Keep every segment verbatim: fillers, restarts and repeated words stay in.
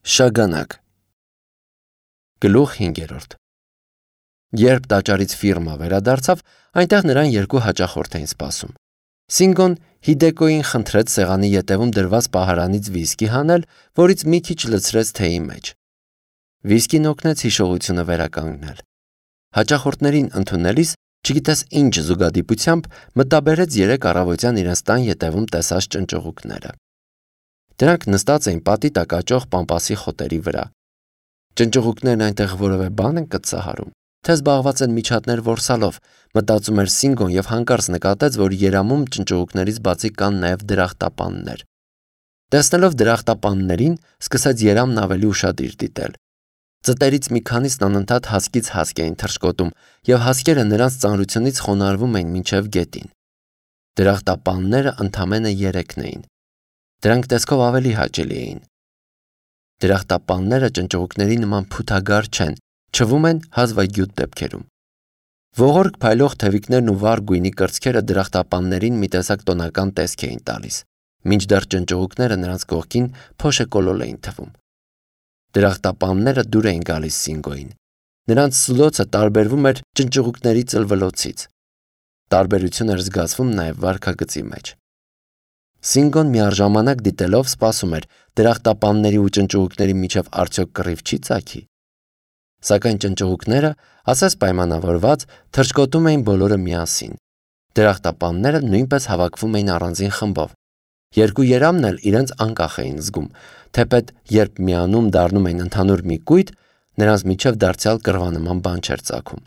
Շագանակ Գլուխ հինգերորդ Երբ տաճարից ֆիրմա վերադարձավ, այնտեղ նրան երկու հաճախորդ էին սպասում։ Սինգոն Հիդեկոյին խնդրեց սեղանի ետևում դրված պահարանից վիսկի հանել, որից մի քիչ լցրեց թեյի մեջ։ Վիսկին օգնեց հիշողությունը վերականգնել։ Հաճախորդներին ընդունելիս, չգիտես ինչ զուգադիպությամբ, մտաբերեց երեք առավոտյան իրենց տան ետևում տեսած ճնճղուկները։ Դրանք նստած էին պատի տակ աճող պամպասի խոտերի վրա։ Ճնճղուկներն այնտեղ որևէ բան են կծահարում, թե զբաղված են միջատներ որսալով, մտածում էր Սինգոն եւ հանկարծ նկատեց, որ երամում ճնճղուկներից բացի կան նաեւ դրախտապաններ։ Տեսնելով դրախտապաններին, սկսեց երամն ավելի ուշադիր դիտել։ Ծտերից մի քանիսն անընդհատ հասկից հասկ էին թռչկոտում, եւ հասկերը նրանց ծանրությունից խոնարհվում էին մինչև գետին։ Դրախտապանները ընդամենը երեքն էին։ Դրանք տեսքով ավելի հաճելի էին։ Դրախտապանները ճնճղուկների նման փութագար չեն, չվում են հազվագյուտ դեպքերում։ Ողորկ փայլող թևիկներն ու վառ գույնի կրծքերը դրախտապաններին մի տեսակ տոնական տեսք էին տալիս, մինչդեռ ճնճղուկները նրանց կողքին փոշեկոլոլ էին թվում։ Դրախտապանները դուր էին գալիս Սինգոյին։ Նրանց սուլոցը տարբերվում էր ճնճղուկների ծլվլոցից։ Տարբերություն էր զգացվում նաև վարքագծի մեջ։ Սինգոն միառժամանակ դիտելով սպասում էր դրախտապանների ու ճնճղուկների միջև արդյոք կռիվ չի ծագի։ Սակայն ճնճղուկները, ասես պայմանավորված, թռչկոտում էին բոլորը միասին։ Դրախտապանները նույնպես հավաքվում էին առանձին խմբով։ Երկու երամն էլ իրենց անկախ էին զգում, թեպետ երբ միանում դառնում էին ընդհանուր մի կույտ, նրանց միջև դարձյալ կռվանման բան չէր ծագում։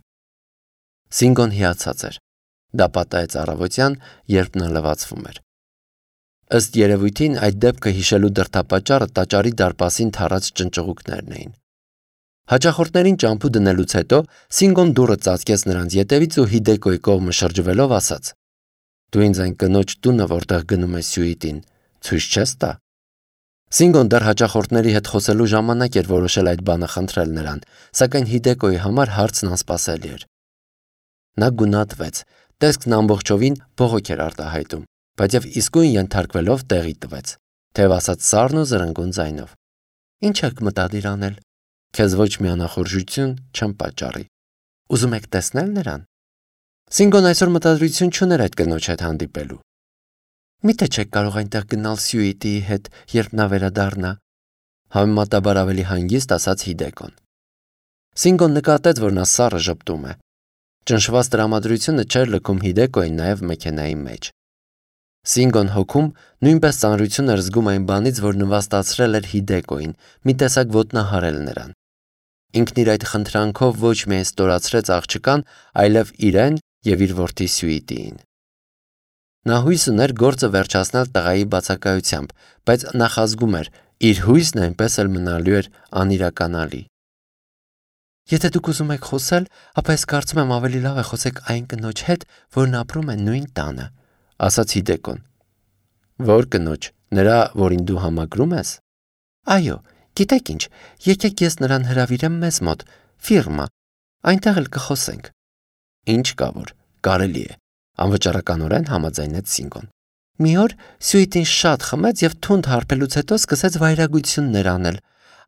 Սինգոն հիացած էր։ Դա պատահեց առավոտյան, երբ նա լվացվում էր։ Ըստ երևույթին այդ դեպքը հիշելու դրդապատճառը տաճարի դարպասին թառած ճնճղուկներն էին։ Հաճախորդներին ճամփու դնելուց հետո Սինգոն դուռը ծածկեց նրանց ետևից ու Հիդեկոյի կողմը շրջվելով ասաց. «Դու ինձ այն կնոջ տունը, որտեղ գնում ես սյուիտին, ցույց չես տա»։ Սինգոն դեռ հաճախորդների հետ խոսելու ժամանակ էր որոշել այդ բանը խնդրել նրան, սակայն Հիդեկոյի համար հարցն անսպասելի էր։ Նա գունատվեց, տեսքն ամբողջովին բողոք էր արտահայտում, բայց եւ իսկույն ենթարկվելով տեղի տվեց, թեև ասաց սառն ու զրնգուն ձայնով. «Ինչ եք մտադիր անել։ Քեզ ոչ մի անախորժություն չեմ պատճառի։ Ուզում եք տեսնել նրան»։ Սինգոն այսօր մտադրություն չուներ այդ կնոջ հետ հանդիպելու։ Միթե չեք կարող այնտեղ գնալ սյուիտիի հետ, երբ նա վերադառնա, համեմատաբար ավելի հանգիստ ասաց Հիդեկոն։ Սինգոն նկատեց, որ նա սառը ժպտում է։ Ճնշված տրամադրությունը չէր լքում Հիդեկոյին նաև մեքենայի մեջ։ Սինգոն հոգում նույնպես ծանրություն էր զգում այն բանից, որ նվաստացրել էր Հիդեկոյին, մի տեսակ ոտնահարել նրան։ Ինքն իր այդ խնդրանքով ոչ միայն ստորացրեց աղջկան, այլև իրեն եւ իր որդի Սյուիտիին։ Նա հույս ուներ գործը վերջացնել տղայի բացակայությամբ, բայց նախազգում էր, իր հույսն այնպես էլ մնալու էր անիրականալի։ Եթե դուք ուզում եք խոսել, ապա ես կարծում եմ ավելի լավ է խոսեք այն կնոջ հետ, որն ապրում է նույն տանը, ասաց Հիդեկոն։ Որ կնոջ, նրա, որին դու համակրում ես։ Այո, գիտեք ինչ, եկեք ես նրան հրավիրեմ մեզ մոտ, ֆիրմա, այնտեղ էլ կխոսենք։ Ինչ կա որ, կարելի է, անվճարականորեն համաձայնեց Սինգոն։ Մի օր Սյուիտին շատ խմեց եւ թունդ հարբելուց հետո սկսեց վայրագություններ անել։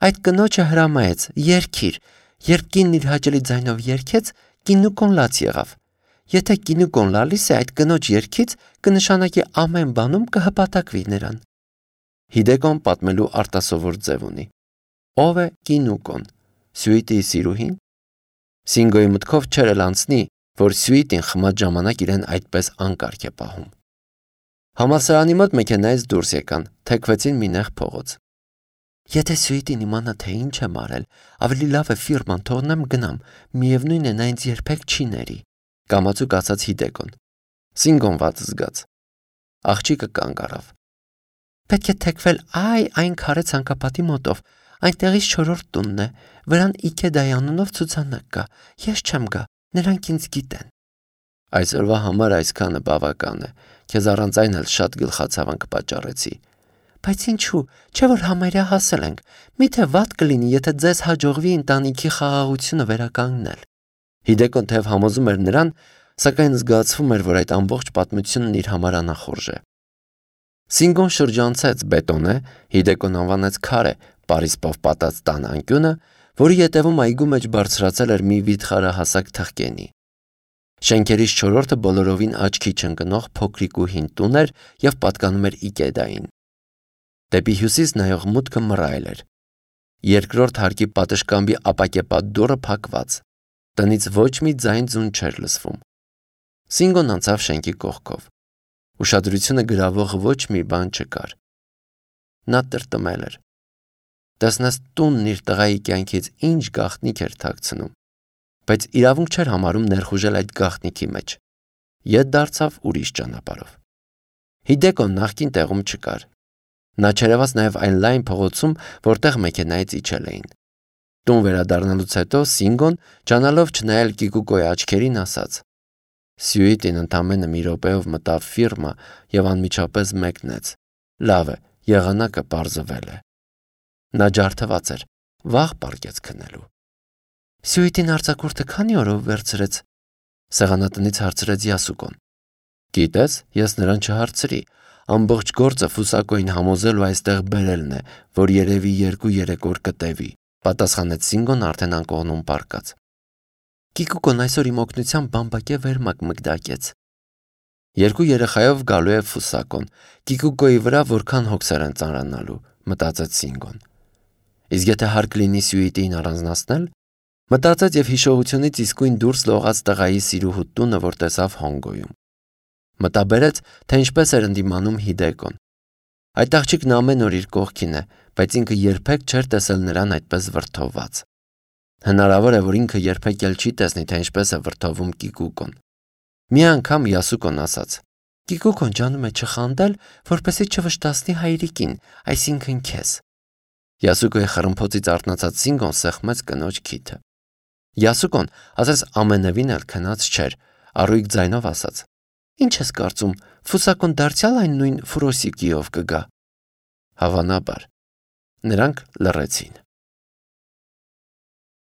Այդ կնոջը հրամայեց, երգիր, երբ կինն իր հաճելի ձայնով երգեց, կինուկոն լաց եղավ։ Եթե կինուկոն լալիս է այդ կնոջ երգից, կնշանակի ամեն բանում կհպատակվի նրան։ Հիդեկոն պատմելու արտասովոր ձև ունի։ Ով է կինուկոն։ Սյուիտիի սիրուհին։ Սինգոյի մտքով չէր էլ անցնի, որ Սյուիտին խմած ժամանակ իրեն այդպես անկարգ է պահում։ Համալսարանի մոտ մեքենայից դուրս եկան, թեքվեցին մի նեղ փողոց։ Եթե Սյուիտին իմանա, թե ինչ եմ արել, ավելի լավ է ֆիրման թողնեմ գնամ, միևնույն է նա ինձ երբեք չի ների, կամացուկ ասաց Հիդեկոն։ Սինգոն վատ զգաց։ Աղջիկը կանգ առավ։ Պետք է թեքվել այ այն քարե ցանկապատի մոտով, այնտեղից չորրորդ տունն է, վրան Իքեդայի անունով ցուցանակ կա, ես չեմ գա, նրանք ինձ գիտեն։ Այսօրվա համար այսքանը բավական է, քեզ առանց այն էլ շատ գլխացավանք պատճառեցի։ Բայց ինչու, չէ որ համարյա հասել ենք, միթե վատ կլինի, եթե ձեզ հաջողվի ընտանիքի խաղաղությունը վերականգնել։ Հիդեկոն թեև համոզում էր նրան, սակայն զգացվում էր, որ այդ ամբողջ պատմությունն իր համար անախորժ է։ Սինգոն շրջանցեց բետոնե, Հիդեկոն անվանեց քարե, պարիսպով պատած տան անկյունը, որի ետևում այգու մեջ բարձրացել էր մի վիթխարահասակ թխկենի։ Շենքերից չորրորդը բոլորովին աչքի չընկնող փոքրիկ ու հին տուն էր և պատկանում էր Իկեդային։ Դեպի հյուսիս նայող մուտքը մռայլ էր։ Երկրորդ հարկի պատշգամբի ապակեպատ դուռը փակված։ Տնից ոչ մի ձայն-ձուն չէր լսվում։ Սինգոն անցավ շենքի կողքով։ Ուշադրությունը գրավող ոչ մի բան չկար։ Նա տրտմել էր։ Տեսնես տունն իր տղայի կյանքից ինչ գաղտնիք էր թաքցնում, բայց իրավունք չէր համարում ներխուժել այդ գաղտնիքի մեջ։ Ետ դարձավ ուրիշ ճանապարհով։ Հիդեկոն նախկին տեղում չկար։ Նա չերևաց նաև այն լայն փողոցում, որտեղ մեքենայից իջել էին։ Տուն վերադառնալուց հետո Սինգոն, ճանալով չնայել Կիկուկոյի աչքերին, ասաց. Սյուիտին ընդամենը մի րոպեով մտավ ֆիրմա և անմիջապես մեկնեց։ Լավ է, եղանակը պարզվել է։ Նա ջարդված էր, վաղ պառկեց քնելու։ Սյուիտին արձակուրդը քանի օրով վերցրեց, սեղանատնից հարցրեց Յասուկոն։ Գիտես, ես նրան չհարցրի, ամբողջ գործը Ֆուսակոյին համոզելու այստեղ բերելն է, որ երևի երկու-երեք օր կտևի, պատասխանեց Սինգոն արդեն անկողնում պառկած։ Կիկուկոն այսօր իմ օգնությամբ բամբակե վերմակ մկդակեց։ Երկու երեխայով գալու է Ֆուսակոն, Կիկուկոյի վրա որքան հոգսեր են ծանրանալու, մտածեց Սինգոն։ Իսկ եթե հարկ լինի Սյուիտին առանձնացնել, մտածեց և հիշողությունից իսկույն դուրս լողաց տղայի սիրուհու տունը, որ տեսավ Հոնգոյում։ Մտաբերեց, թե ինչպես էր ընդդիմանում Հիդեկոն։ Այդ աղջիկն ամեն օր իր կողքին է, բայց ինքը երբեք չէր տեսել նրան այդպես վրդովված։ Հնարավոր է, որ ինքը երբեք էլ չի տեսնի, թե ինչպես է վրդովում Կիկուկոն։ Մի անգամ Յասուկոն ասաց. Կիկուկոն ջանում է չխանդել, որպեսզի չվշտացնի հայրիկին, այսինքն քեզ։ Յասուկոյի խռմփոցից արթնացած Սինգոն սեղմեց կնոջ քիթը։ Յասուկոն, ասես ամենևին էլ քնած չէր, առույգ ձայնով ասաց. Ինչ ես կարծում, Ֆուսակոն դարձյալ այն նույն Ֆուրոսիկիով կգա։ Հավանաբար։ Նրանք լռեցին։